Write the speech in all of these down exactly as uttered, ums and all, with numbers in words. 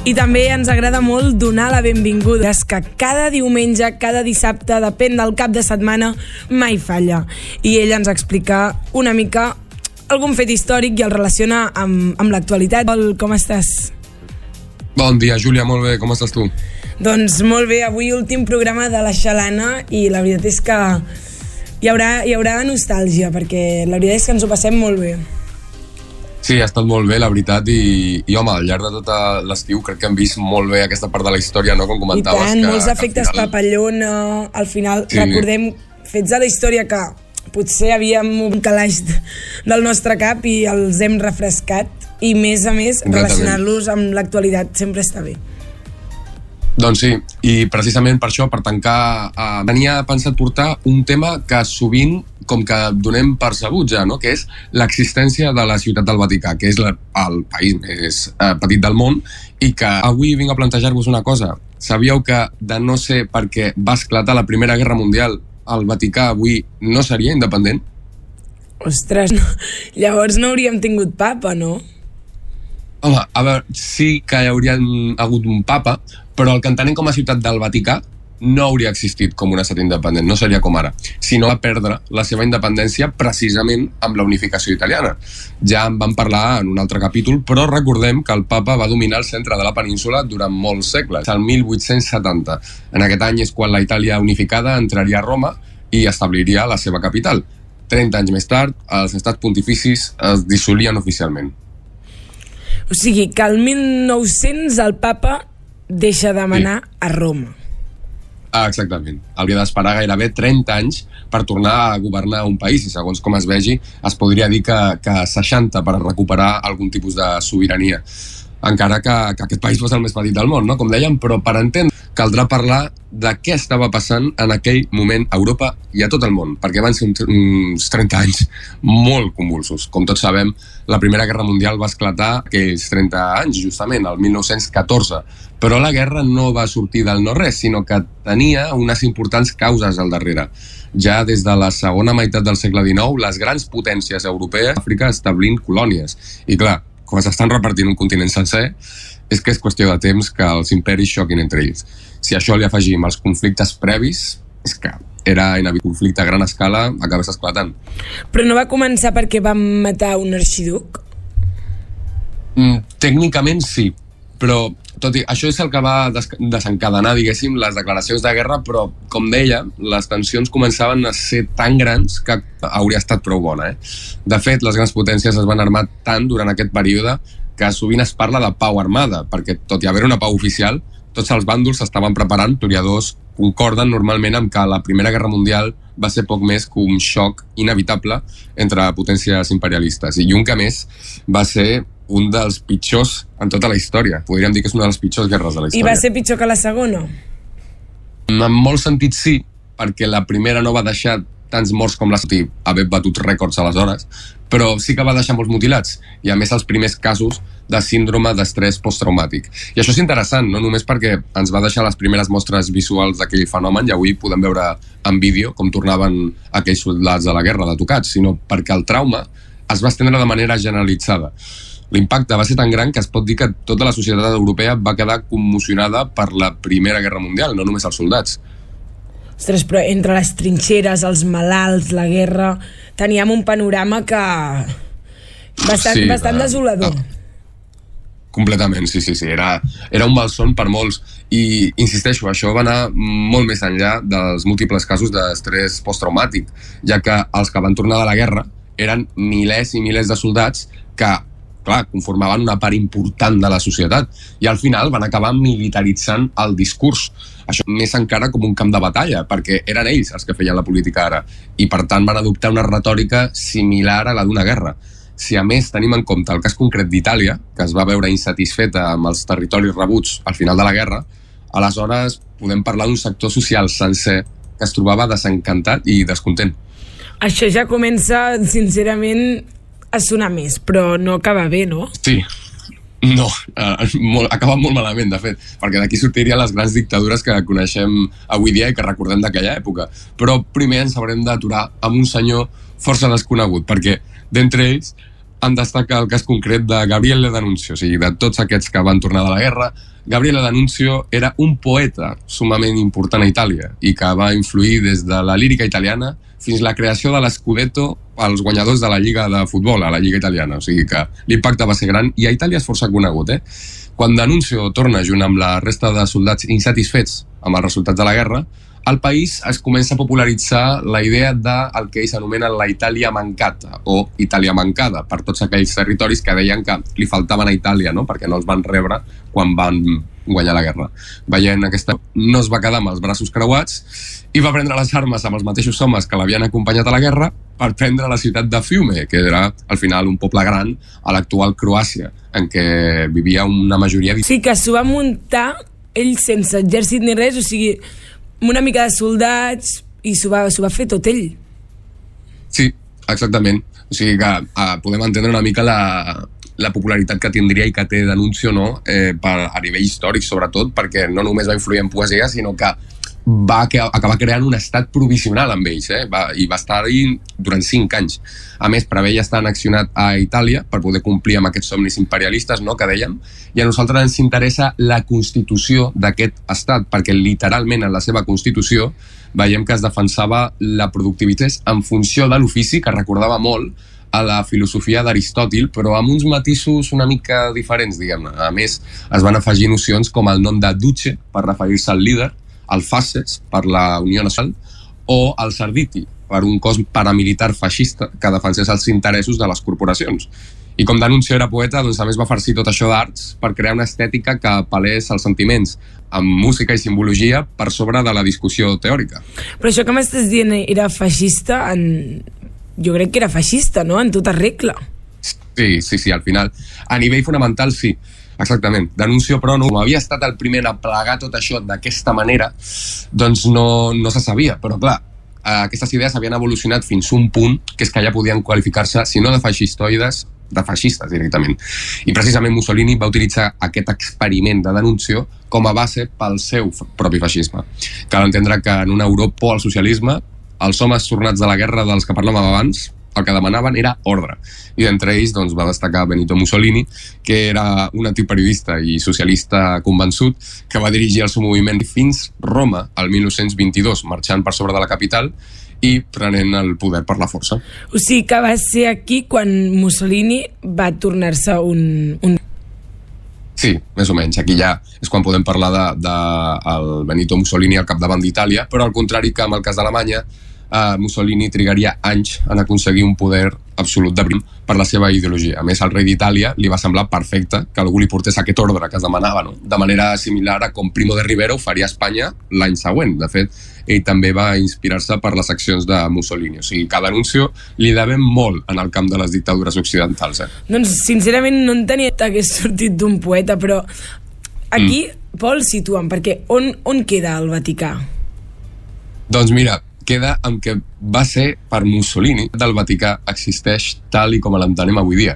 I també ens agrada molt donar la benvinguda, és que cada diumenge, cada dissabte, depèn del cap de setmana, mai falla. I ell ens explica una mica algun fet històric i el relaciona amb, amb l'actualitat. Com estàs? Bon dia, Júlia, molt bé, com estàs tu? Doncs molt bé, avui últim programa de la Xalana i la veritat és que hi haurà, hi haurà nostàlgia, perquè la veritat és que ens ho passem molt bé. Sí, ha estat molt bé, la veritat, i, i home, al llarg de tot l'estiu crec que hem vist molt bé aquesta part de la història, no?, com comentaves. I tant, que, molts efectes final... papallona, al final, sí. Recordem fets de la història que potser havíem un calaix del nostre cap i els hem refrescat, i més a més, relacionar-los amb l'actualitat sempre està bé. Doncs sí, i precisament per això, per tancar, eh, tenia pensat portar un tema que sovint com que donem per sabut ja, no?, que és l'existència de la Ciutat del Vaticà, que és la, el país més eh, petit del món, i que avui vinc a plantejar-vos una cosa. Sabíeu que, de no ser perquè va esclatar la Primera Guerra Mundial, el Vaticà avui no seria independent? Ostres, no. Llavors no hauríem tingut papa, no? Home, a veure, sí que hi hauria hagut un papa, però el que entenem com a Ciutat del Vaticà no hauria existit com un estat independent, no seria com ara, sinó va perdre la seva independència precisament amb la unificació italiana. Ja en vam parlar en un altre capítol, però recordem que el papa va dominar el centre de la península durant molts segles, al mil vuit-cents setanta. En aquest any és quan la Itàlia unificada entraria a Roma i establiria la seva capital. trenta anys més tard, els estats pontificis es dissolien oficialment. O sigui que el mil nou-cents el papa deixa de manar sí. a Roma. Ah, exactament. Hauria d'esperar gairebé trenta anys per tornar a governar un país i segons com es vegi es podria dir que, que seixanta per recuperar algun tipus de sobirania. Encara que, que aquest país fos el més petit del món, no? Com dèiem, però per entendre caldrà parlar de què estava passant en aquell moment a Europa i a tot el món, perquè van ser uns trenta anys molt convulsos. Com tots sabem, la Primera Guerra Mundial va esclatar aquells trenta anys, justament, el mil nou-cents catorze, però la guerra no va sortir del no-res, sinó que tenia unes importants causes al darrere. Ja des de la segona meitat del segle dinou, les grans potències europees a Àfrica establint colònies. I clar, com s'estan repartint un continent sencer, és que és qüestió de temps que els imperis xoquin entre ells. Si a això li afegim els conflictes previs, és que era inevitable. Conflicte a gran escala acabés esclatant. Però no va començar perquè van matar un arxiduc? Mm, tècnicament sí, però tot i això és el que va des desencadenar, diguéssim, les declaracions de guerra, però, com deia, les tensions començaven a ser tan grans que hauria estat prou bona. Eh? De fet, les grans potències es van armar tant durant aquest període que sovint es parla de pau armada, perquè tot i haver una pau oficial, tots els bàndols s'estaven preparant. Historiadors concorden normalment amb que la Primera Guerra Mundial va ser poc més que un xoc inevitable entre potències imperialistes. I un que més va ser un dels pitjors en tota la història. Podríem dir que és una de les pitjors guerres de la història. I va ser pitjor que la segona? En molts sentits sí, perquè la primera no va deixar tants morts com la segona, haver batut rècords aleshores, però sí que va deixar molts mutilats, i a més els primers casos de síndrome d'estrès posttraumàtic. I això és interessant, no només perquè ens va deixar les primeres mostres visuals d'aquell fenomen, i avui podem veure en vídeo com tornaven aquells soldats de la guerra de tocats, sinó perquè el trauma es va estendre de manera generalitzada. L'impacte va ser tan gran que es pot dir que tota la societat europea va quedar commocionada per la Primera Guerra Mundial, no només els soldats. Ostres, però entre les trinxeres, els malalts, la guerra, teníem un panorama que... bastant, sí, bastant uh, desolador. Uh, completament, sí, sí, sí. Era, era un malson per molts. I, insisteixo, això va anar molt més enllà dels múltiples casos d'estrès posttraumàtic, ja que els que van tornar de la guerra eren milers i milers de soldats que, clar, conformaven una part important de la societat i al final van acabar militaritzant el discurs. Això més encara com un camp de batalla, perquè eren ells els que feien la política ara i per tant van adoptar una retòrica similar a la d'una guerra. Si a més tenim en compte el cas concret d'Itàlia, que es va veure insatisfeta amb els territoris rebuts al final de la guerra, aleshores podem parlar d'un sector social sencer que es trobava desencantat i descontent. Això ja comença, sincerament, a sonar més, però no acaba bé, no? Sí, no, uh, molt, acaba molt malament, de fet, perquè d'aquí sortirien les grans dictadures que coneixem avui dia i que recordem d'aquella època. Però primer ens haurem d'aturar amb un senyor força desconegut, perquè d'entre ells en destaca el cas concret de Gabriele D'Annunzio, o sigui, de tots aquests que van tornar de la guerra. Gabriele D'Annunzio era un poeta sumament important a Itàlia i que va influir des de la lírica italiana fins la creació de l'Scudetto als guanyadors de la Lliga de Futbol, a la Lliga Italiana. O sigui que l'impacte va ser gran i a Itàlia és força conegut. Eh? Quan D'Annunzio torna junt amb la resta de soldats insatisfets amb els resultats de la guerra, al país es comença a popularitzar la idea del que ells anomenen la Itàlia mancata o Itàlia mancada per tots aquells territoris que deien que li faltaven a Itàlia, no? Perquè no els van rebre quan van guanyar la guerra. Veient aquesta, no es va quedar amb els braços creuats i va prendre les armes amb els mateixos homes que l'havien acompanyat a la guerra per prendre la ciutat de Fiume, que era al final un poble gran a l'actual Croàcia, en què vivia una majoria... Sí, que s'ho va muntar ell sense exèrcit ni res, o sigui, una mica de soldats i s'ho va, s'ho va fer tot ell. Sí, exactament. O sigui que uh, podem entendre una mica la, la popularitat que tindria i que té D'Annunzio, no? eh, per, a nivell històric, sobretot, perquè no només va influir en poesia, sinó que va que, acabar creant un estat provisional amb ells, eh? va, i va estar-hi durant cinc anys. A més, preveia estar annexionat a Itàlia per poder complir amb aquests somnis imperialistes, no?, que dèiem, i a nosaltres ens interessa la constitució d'aquest estat, perquè literalment en la seva constitució veiem que es defensava la productivitat en funció de l'ofici, que recordava molt a la filosofia d'Aristòtil, però amb uns matisos una mica diferents, diguem-ne. A més, es van afegir nocions com el nom de duce, per referir-se al líder, el Fasces, per la Unió Nacional, o el Sarditi, per un cos paramilitar feixista que defensés els interessos de les corporacions. I com D'Annunzio era poeta, doncs a més va farcir tot això d'arts per crear una estètica que apel·lés als sentiments, amb música i simbologia per sobre de la discussió teòrica. Però això que m'estàs dient era feixista, en... jo crec que era feixista, no?, en tota regla. Sí, sí, sí, al final. A nivell fonamental, sí. Exactament. D'Annunzio, però, no, com havia estat el primer a plegar tot això d'aquesta manera, doncs no, no se sabia. Però, clar, aquestes idees havien evolucionat fins a un punt que és que ja podien qualificar-se, si no de feixistoides, de feixistes directament. I precisament Mussolini va utilitzar aquest experiment de D'Annunzio com a base pel seu propi feixisme. Cal entendre que en una Europa al socialisme, els homes tornats de la guerra dels que parlàvem abans, el que demanaven era ordre. I d'entre ells doncs, va destacar Benito Mussolini, que era un antiperiodista i socialista convençut, que va dirigir el seu moviment fins Roma el mil nou-cents vint-i-dos, marxant per sobre de la capital i prenent el poder per la força. O sigui que va ser aquí quan Mussolini va tornar-se un... un... Sí, més o menys. Aquí ja és quan podem parlar de, de el Benito Mussolini al capdavant d'Itàlia, però al contrari que amb el cas d'Alemanya, Uh, Mussolini trigaria anys en aconseguir un poder absolut de prim per la seva ideologia. A més, al rei d'Itàlia li va semblar perfecte que algú li portés aquest ordre que es demanava, no? De manera similar a com Primo de Rivera ho faria a Espanya l'any següent. De fet, ell també va inspirar-se per les accions de Mussolini. O sigui, que D'Annunzio li devem molt en el camp de les dictadures occidentals. Eh? Doncs, sincerament, no entenia que hagués sortit d'un poeta, però aquí, mm. Pol, situa'm, perquè on, on queda el Vaticà? Doncs mira, queda amb que va ser per Mussolini del Vaticà existeix tal i com l'entenem avui dia.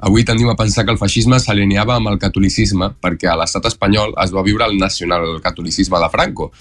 Avui tendim a pensar que el feixisme s'alineava amb el catolicisme perquè a l'estat espanyol es va viure el nacionalcatolicisme de Franco,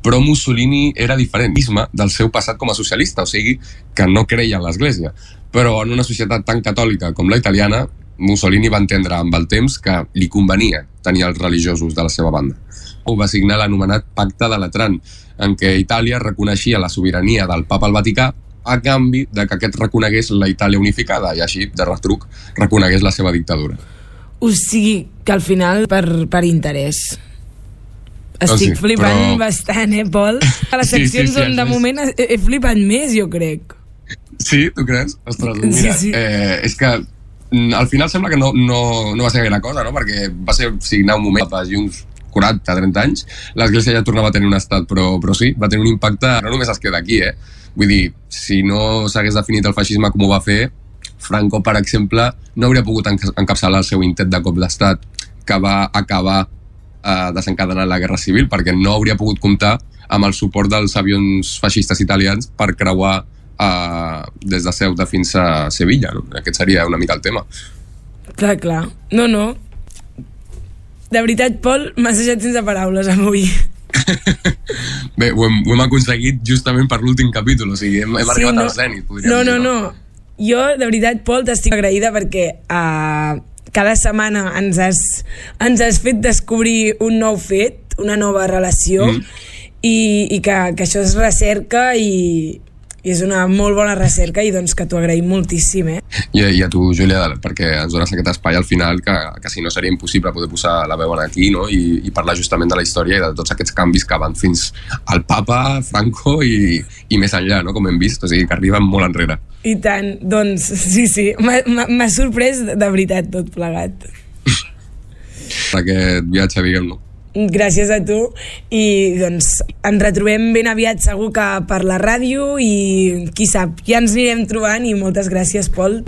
però Mussolini era diferent del seu passat com a socialista, o sigui que no creia en l'Església. Però en una societat tan catòlica com la italiana, Mussolini va entendre amb el temps que li convenia tenir els religiosos de la seva banda. Ho va signar l'anomenat Pacte de Latran, en què Itàlia reconeixia la sobirania del papa al Vaticà a canvi de que aquest reconegués la Itàlia unificada i així, de retruc, reconegués la seva dictadura. O sigui que al final per, per interès. Estic oh, sí, flipant però... bastant, eh, Pol? A les seccions sí, sí, sí, on de moment he, he flipat més, jo crec. Sí, tu creus? Ostres, mira, sí, sí. Eh, és que al final sembla que no, no, no va ser gaire cosa, no? Perquè va ser signar un moment i uns quaranta a trenta anys, l'Església ja tornava a tenir un estat, però, però sí, va tenir un impacte, no només es queda aquí, eh? Vull dir, si no s'hagués definit el feixisme com ho va fer, Franco, per exemple, no hauria pogut encapçalar el seu intent de cop d'estat que va acabar eh, desencadenant la Guerra Civil, perquè no hauria pogut comptar amb el suport dels avions feixistes italians per creuar eh, des de Ceuta fins a Sevilla, no? Aquest seria una mica el tema. Clar, clar. No, no. De veritat, Pol, m'has deixat sense paraules avui. Bé, ho hem, ho hem aconseguit justament per l'últim capítol, o sigui, hem, hem sí, arribat no, al zènit, podríem no, dir. No, no, no. Jo, de veritat, Pol, t'estic agraïda perquè uh, cada setmana ens has, ens has fet descobrir un nou fet, una nova relació, mm. i, i que, que això és recerca i, i és una molt bona recerca i doncs que t'ho agraïm moltíssim, eh? I, i a tu, Júlia, perquè ens dones aquest espai al final que, que si no seria impossible poder posar la veu aquí, no? I, i parlar justament de la història i de tots aquests canvis que van fins al papa, Franco i, i més enllà, no? Com hem vist, o sigui que arriben molt enrere. I tant, doncs sí, sí, m'ha sorprès de veritat tot plegat. Aquest viatge, diguem-ne. Gràcies a tu i doncs ens retrobem ben aviat segur que per la ràdio i qui sap, ja ens anirem trobant i moltes gràcies, Pol.